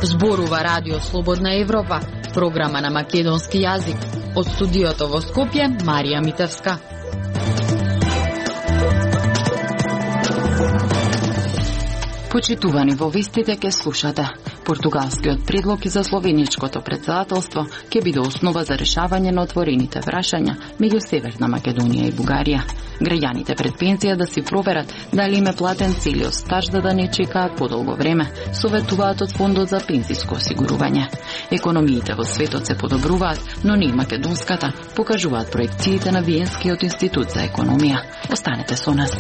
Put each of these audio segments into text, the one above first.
Зборува Радио Слободна Европа, програма на македонски јазик. Од студиото во Скопје, Марија Митевска. Почитувани во вестите ке слушате. Португалскиот предлог и за словеничкото председателство ќе биде основа за решавање на отворените прашања меѓу Северна Македонија и Бугарија. Граѓаните пред пензија да си проверат дали им е платен целиот стаж да не чекаат подолго време, советуваат од Фондот за пензиско осигурување. Економиите во светот се подобруваат, но не и македонската, покажуваат проекциите на Виенскиот институт за економија. Останете со нас.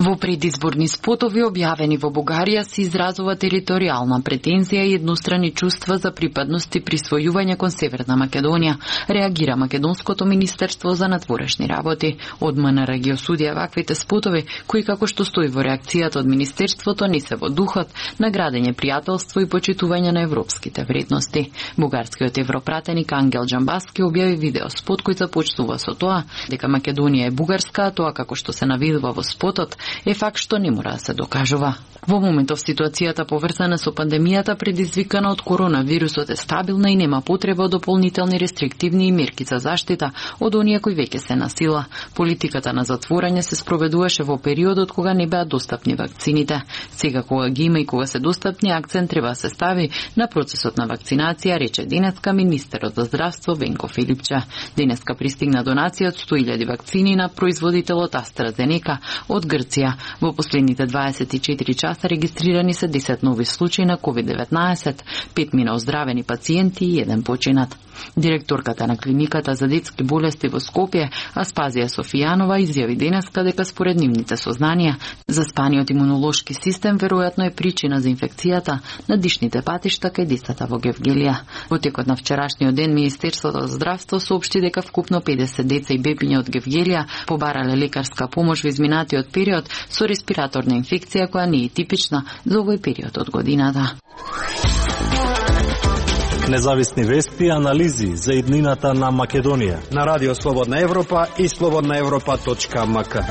Во предизборни спотови објавени во Бугарија се изразува територијална претензија и еднострани чувства за припадност и присвојување кон Северна Македонија, реагира Македонското министерство за надворешни работи. Од МНР ги осудија ваквите спотови, кои како што стои во реакцијата од министерството не се во духот на градење пријателство и почитување на европските вредности. Бугарскиот европратеник Ангел Џамбаски објави видео спот кој започнува со тоа дека Македонија е бугарска, а тоа како што се навидува во спотот е факт што не мора да се докажува. Во моментов ситуацијата поврзана со пандемијата предизвикана од коронавирусот е стабилна и нема потреба од дополнителни рестриктивни мерки за заштита од оние кои веќе се на сила. Политиката на затворање се спроведуваше во периодот кога не беа достапни вакцините. Сега кога ги има и кога се достапни, акцент треба да се стави на процесот на вакцинација, рече денеска министерот за здравство Венко Филипче. Денеска пристигна донација од 100.000 вакцини на производителот AstraZeneca од Грција. Во последните 24 часа регистрирани се 10 нови случаи на COVID-19, 5 мина оздравени пациенти и 1 починат. Директорката на клиниката за детски болести во Скопје, Аспазија Софијанова, изјави денеска дека според нивните сознанија, заспаниот имунолошки систем веројатно е причина за инфекцијата на дишните патишта кај децата во Гевгелија. Во текот на вчерашниот ден Министерството за здравство соопшти дека вкупно 50 деца и бебиња од Гевгелија побарале лекарска помош во изминатиот период со респираторна инфекција која не е типична за овој период од годината. Независни вести и анализи за иднината на Македонија на Радио Слободна Европа и slobodnaevropa.mk.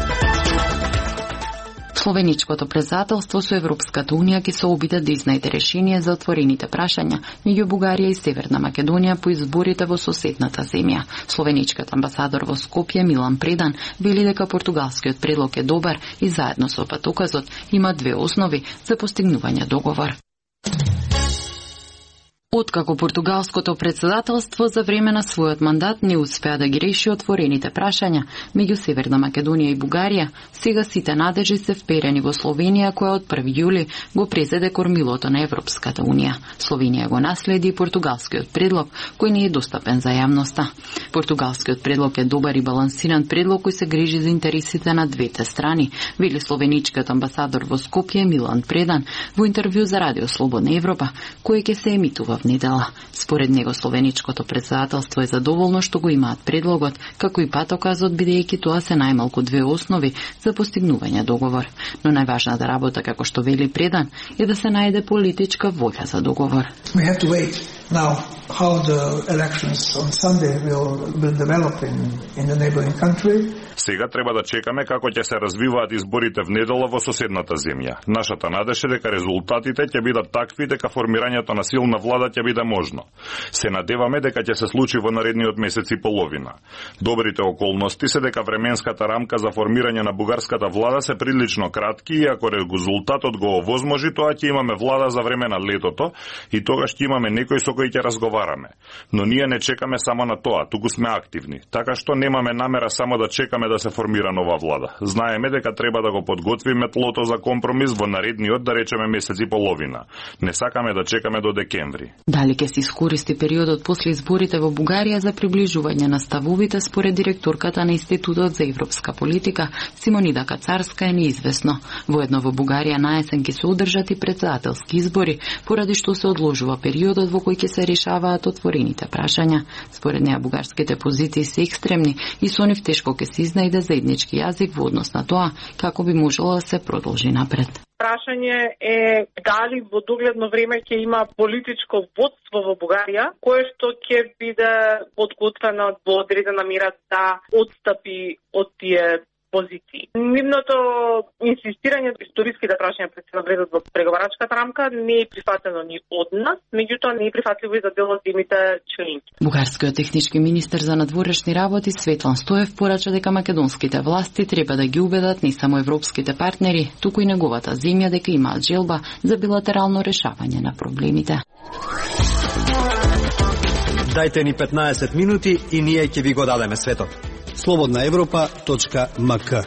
Словеничкото председателство со Европската унија ќе се обиде да изнајде решение за отворените прашања меѓу Бугарија и Северна Македонија по изборите во соседната земја. Словеничкиот амбасадор во Скопје Милан Предан вели дека португалскиот предлог е добар и заедно со патоказот има две основи за постигнување договор. Откако португалското председателство за време на својот мандат не успеа да ги реши отворените прашања меѓу Северна Македонија и Бугарија, сега сите надежи се вперени во Словенија, која од 1 јули го презеде кормилото на Европската унија. Словенија го наследи португалскиот предлог, кој не е достапен за јавноста. Португалскиот предлог е добар и балансиран предлог кој се грижи за интересите на двете страни, вели словеничкиот амбасадор во Скопје Милан Предан во интервју за Радио Слободна Европа, кој ќе се емитува в недела. Според него словеничкото председателство е задоволно што го имаат предлогот, како и патоказот, бидејќи тоа се најмалку две основи за постигнување договор. Но најважната работа, како што вели Предан, е да се најде политичка волја за договор. We have to wait now how the elections on Sunday will develop in the neighboring country. Сега треба да чекаме како ќе се развиваат изборите в недела во соседната земја. Нашата надеж е дека резултатите ќе бидат такви дека формирањето на силна влада ќе биде можно. Се надеваме дека ќе се случи во наредниот месец и половина. Добрите околности се дека временската рамка за формирање на бугарската влада се прилично кратки и ако резултатот го овозможи, тоа ќе имаме влада за време на летото и тогаш ќе имаме некој со кој ќе разговараме. Но ние не чекаме само на тоа, туку сме активни. Така што немаме намера само да чекаме да се формира нова влада. Знаеме дека треба да го подготвиме тлото за компромис во наредниот, да речеме, месец и половина. Не сакаме да чекаме до декември. Дали ќе се искористи периодот после изборите во Бугарија за приближување на ставовите, според директорката на Институтот за европска политика Симонида Кацарска, е неизвестно. Воедно во Бугарија наесен ќе се одржат и председателски избори, поради што се одложува периодот во кој ќе се решаваат отворените прашања. Според неа бугарските позиции се екстремни и со нив тешко ќе се изнајде заеднички јазик во однос на тоа како би можело да се продолжи напред. прашање е дали во догледно време ќе има политичко водство во Бугарија, кое што ќе биде подготвено во одредена мера да отстапи од тие позиции. Нивното инсистирање историските прашања пред се навредат во преговарачката рамка не е прифатено ни од нас, меѓутоа не е прифатливо и за дел од земјите членки. Бугарскиот технички министер за надворешни работи Светлан Стоев порача дека македонските власти треба да ги убедат не само европските партнери, туку и неговата земја дека имаат желба за билатерално решавање на проблемите. Дајте ни 15 минути и ние ќе ви го дадеме светот. slobodnaevropa.mk.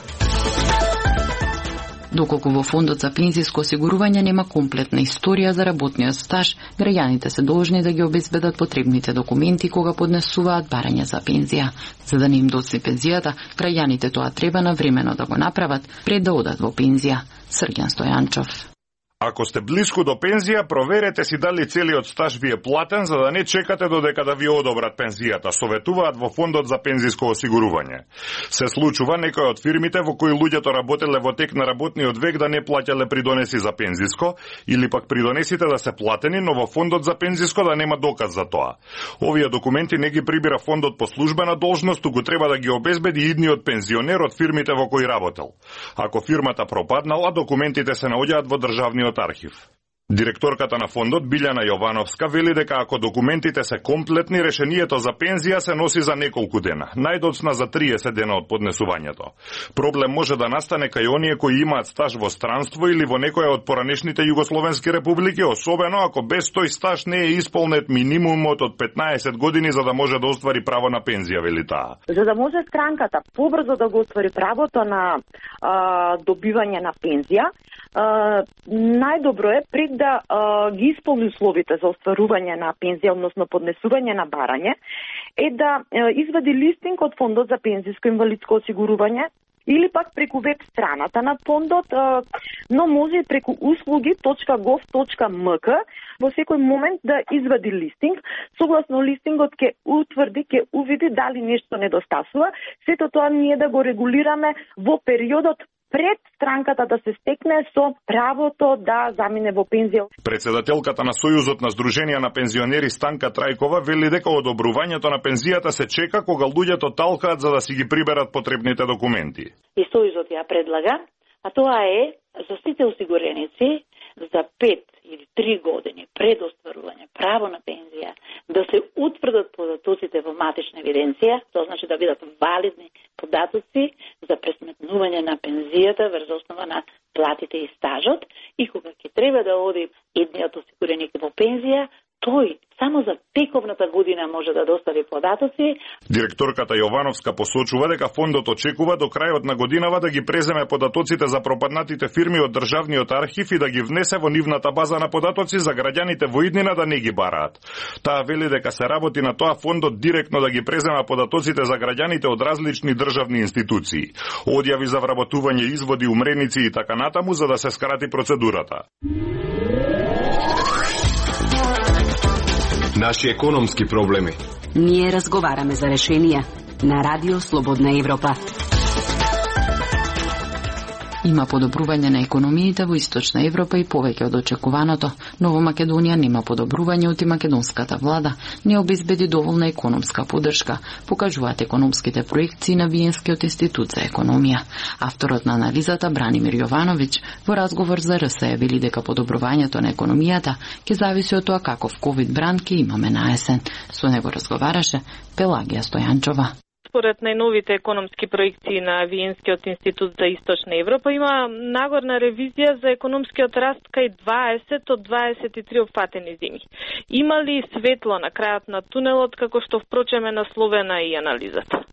Доколку во фондот за пензиско осигурување нема комплетна историја за работниот стаж, граѓаните се должни да ги обезбедат потребните документи кога поднесуваат барање за пензија. За да не им доцне пензијата, граѓаните тоа треба навремено да го направат пред да одат во пензија. Срѓан Стојанчов. Ако сте блиску до пензија, проверете си дали целиот стаж ви е платен за да не чекате додека да ви одобрат пензијата, советуваат во фондот за пензиско осигурување. Се случува некои од фирмите во кои луѓето работеле во тек на работниот век да не плаќале придонеси за пензиско, или пак придонесите да се платени, но во фондот за пензиско да нема доказ за тоа. Овие документи не ги прибира фондот по службена должност, туку треба да ги обезбеди идниот пензионер од фирмите во кои работел. Ако фирмата пропаднала, документите се наоѓаат во државниот архив. Директорката на фондот Билјана Јовановска вели дека ако документите се комплетни, решението за пензија се носи за неколку дена, најдоцна за 30 дена од поднесувањето. Проблем може да настане кај оние кои имаат стаж во странство или во некоја од поранешните југословенски републики, особено ако без тој стаж не е исполнет минимумот од 15 години за да може да оствари право на пензија, вели таа. За да може странката побрзо да го оствари правото на добивање на пензија, најдобро е пред да ги исполни условите за остварување на пензија, односно поднесување на барање, е да извади листинг од фондот за пензиско инвалидско осигурување или пак преку веб страната на фондот, но може и преку услуги.gov.mk во секој момент да извади листинг. Согласно листингот ќе утврди, ќе увиди дали нешто недостасува. Сето тоа ние да го регулираме во периодот пред странката да се стекне со правото да замине во пензија. Председателката на Сојузот на Сдруженија на пензионери Станка Трајкова вели дека одобрувањето на пензијата се чека кога луѓето талкаат за да си ги приберат потребните документи. И Сојузот ја предлага, а тоа е за сите осигуреници за 5 или 3 години пред остварување право на пензија да се утврдат податоците во матична евиденција, тоа значи да бидат валидни податоци за пресметнување на пензијата врз основа на платите и стажот, и кога ќе треба да оди едниот осигуреник во пензија, тој само за тековната година може да достави податоци. Директорката Јовановска посочува дека фондот очекува до крајот на годинава да ги преземе податоците за пропаднатите фирми од државниот архив и да ги внесе во нивната база на податоци за граѓаните во иднина да не ги бараат. Таа вели дека се работи на тоа фондот директно да ги презема податоците за граѓаните од различни државни институции. Одјави за вработување, изводи, умреници и така натаму за да се скрати процедурата. Наши економски проблеми. Ние разговараме за решенија на Радио Слободна Европа. Има подобрување на економиите во Источна Европа и повеќе од очекуваното, но во Македонија нема подобрување оти македонската влада не обезбеди доволна економска поддршка, покажуваат економските проекции на Виенскиот институт за економија. Авторот на анализата Бранимир Јовановиќ во разговор за РСЕ вели дека подобрувањето на економијата ќе зависи од тоа каков ковид бран ќе имаме на есен. Со него разговараше Пелагија Стојанчова. Според најновите економски проекции на Виенскиот институт за Источна Европа има нагорна ревизија за економскиот раст кај 20 од 23 опфатени земи. Има ли светло на крајот на тунелот, како што впрочем е насловена и анализата?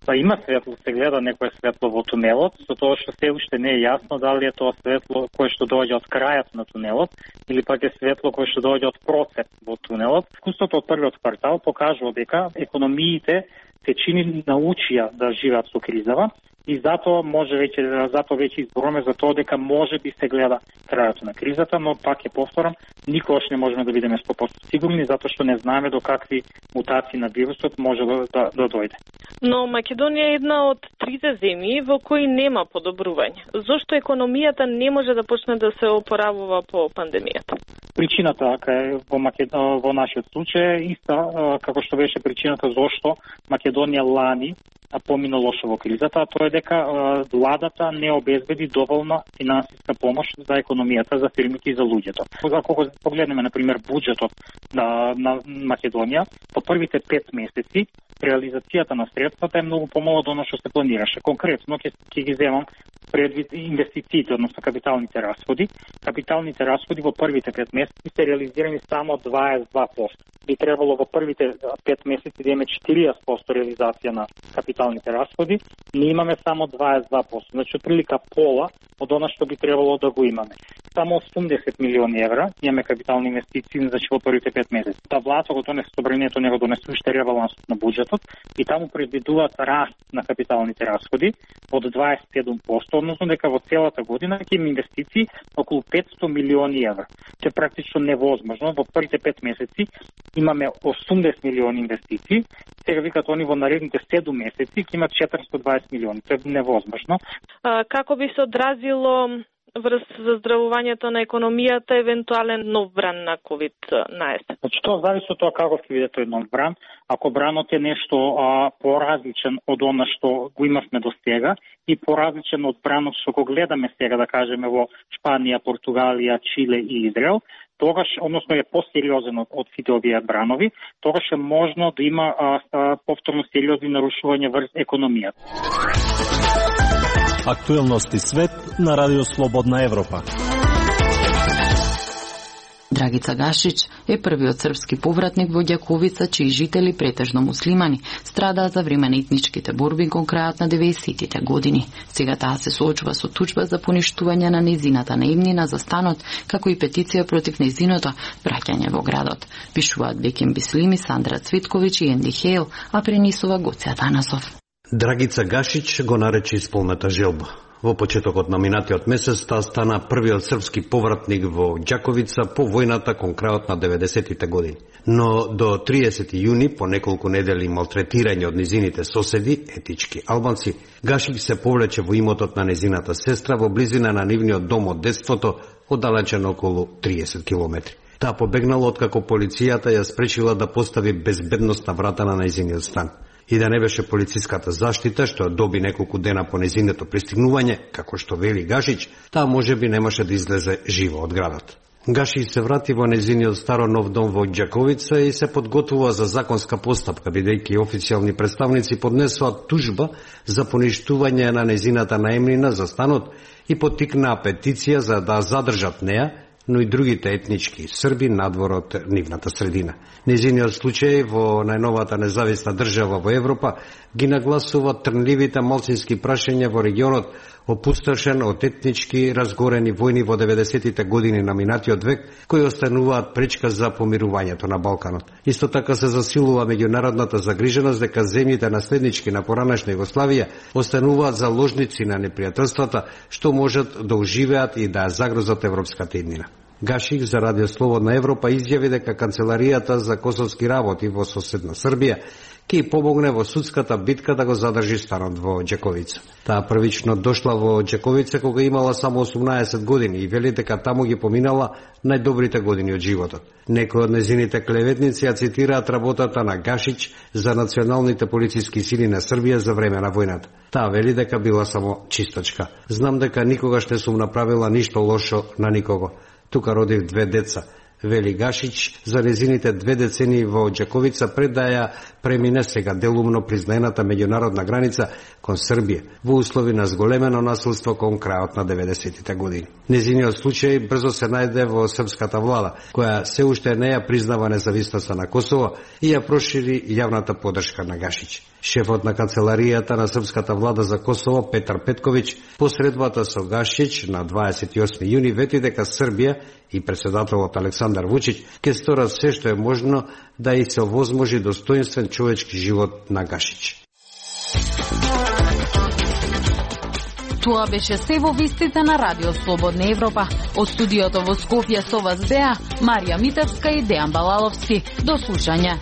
Па има светло, се гледа некое светло во тунелот, со тоа што се уште не е јасно дали е тоа светло кое што доаѓа од крајот на тунелот или пак е светло кое што доаѓа од процеп во тунелот. Искуството од првиот квартал покажува дека економиите се чини научија да живеат со кризава и затоа веќе изборуваме за тоа дека може би се гледа крајот на кризата, но пак ќе повторам, никогаш не можеме да бидеме 100% сигурни затоа што не знаеме до какви мутации на вирусот може да дојде. Но Македонија е една од трите земји во кои нема подобрување. Зошто економијата не може да почне да се опоравува по пандемијата? Причината во нашиот случај е иста како што беше причината зошто Македонија лани помина лошо во кризата, а тоа е дека владата не обезбеди доволна финансиска помош за економијата, за фирмите и за луѓето. Ако погледнеме, например, буџетот на Македонија, по првите 5 месеци реализацијата на средствата е многу помало од оно што се планираше. Конкретно ќе ги земам предвид инвестициите, односно капиталните расходи. Капиталните расходи во првите 5 месеци се реализирани само 22%. Би требало во првите 5 месеци да имаме 40% реализација на капиталните расходи, ние имаме само 22%. Значи, отприлика пола од она што би требало да го имаме. Само 80 милиони евра имаме капитални инвестиции, значи во првите 5 месеци. Та влада го донесе собранието, него донесе уште ребалансот на буџетот и таму предвидуваат раст на капиталните расходи од 27%, односно дека во целата година ќе има инвестиции околу 500 милиони евра. Тоа е практично невозможно. Во првите 5 месеци имаме 80 милиони инвестиции, сега викат они во наредните 7 месеци ќе имат 420 милиони. Тоа е невозможно. Како би се одразило врз заздравувањето на економијата евентуален нов бран на COVID-19? Значи, тоа зависи од тоа како ќе биде тој нов бран. Ако бранот е нешто поразличен од она што го имавме до сега и поразличен од бранот што го гледаме сега, да кажеме, во Шпанија, Португалија, Чиле и Израел, тогаш, односно е посериозен од сите овие бранови, тогаш е можно да има повторно сериозни нарушувања врз економијата. Актуелности свет на Радио Слободна Европа. Драгица Гашич е првиот српски повратник во Ѓаковица, чии жители, претежно муслимани, страдаат за време на етничките борби кон крајот на 90-тите години. Сега таа се соочува со тужба за поништување на нејзината наимнина за станот, како и петиција против нејзиното враќање во градот. Пишуваат Беким Бислими, Сандра Цвитковиќ и Енди Хейл, а пренесува Гоце Атанасов. Драгица Гашич го нарече исполната желба. Во почетокот на минатиот месец таа стана првиот српски повратник во Ѓаковица по војната кон крајот на 90-тите години. Но до 30 јуни, по неколку недели малтретирање од незините соседи, етички албанци, Гашич се повлече во имотот на незината сестра во близина на нивниот дом од детството, оддалечен околу 30 километри. Таа побегнала откако полицијата ја спречила да постави безбедност на врата на незиниот стан. И да не беше полициската заштита, што доби неколку дена по незиното пристигнување, како што вели Гашич, таа можеби немаше да излезе живо од градот. Гашич се врати во незиниот старо нов дом во Ѓаковица и се подготвува за законска постапка, бидејќи официјални представници поднесоа тужба за поништување на незината наемнина за станот и поттикнаа петиција за да задржат неа, но и другите етнички срби надвор од нивната средина. Незиниот случај во најновата независна држава во Европа ги нагласува трнливите малцински прашања во регионот, опустошен од етнички разгорени војни во 90-тите години на минатиот век, кои остануваат пречка за помирувањето на Балканот. Исто така се засилува меѓународната загриженост дека земјите наследнички на поранешна Југославија остануваат заложници на непријателствата, што можат да оживеат и да ја загрозат европската иднина. Гашик за Радио Слободна Европа изјави дека Канцеларијата за косовски работи во соседна Србија ќе помогне во судската битка да го задржи станот во Ѓаковица. Таа првично дошла во Ѓаковица кога имала само 18 години и вели дека таму ги поминала најдобрите години од животот. Некои од незините клеветници ја цитираат работата на Гашич за националните полициски сили на Србија за време на војната. Таа вели дека била само чистачка. Знам дека никогаш не сум направила ништо лошо на никого. Тука родив 2 деца, вели Гашич за незините 2 децени во Ѓаковица пред да ја премине сега делумно признаената меѓународна граница кон Србија во услови на зголемено насилство кон крајот на 90-тите години. Незиниот случај брзо се најде во српската влада, која се уште не ја признава независноста на Косово и ја прошири јавната поддршка на Гашич. Шефот на Канцеларијата на српската влада за Косово Петар Петковиќ посредбата со Гашич на 28 јуни вети дека Србија и председателот Александар Вучиќ ќе сторат се што е можно да и се овозможи достоинствен човечки живот на Гашич. Тоа беше се во вестите на Радио Слободна Европа. Од студиото во Скопје со вас беа Марија Митевска и Дејан Балаловски. До слушање.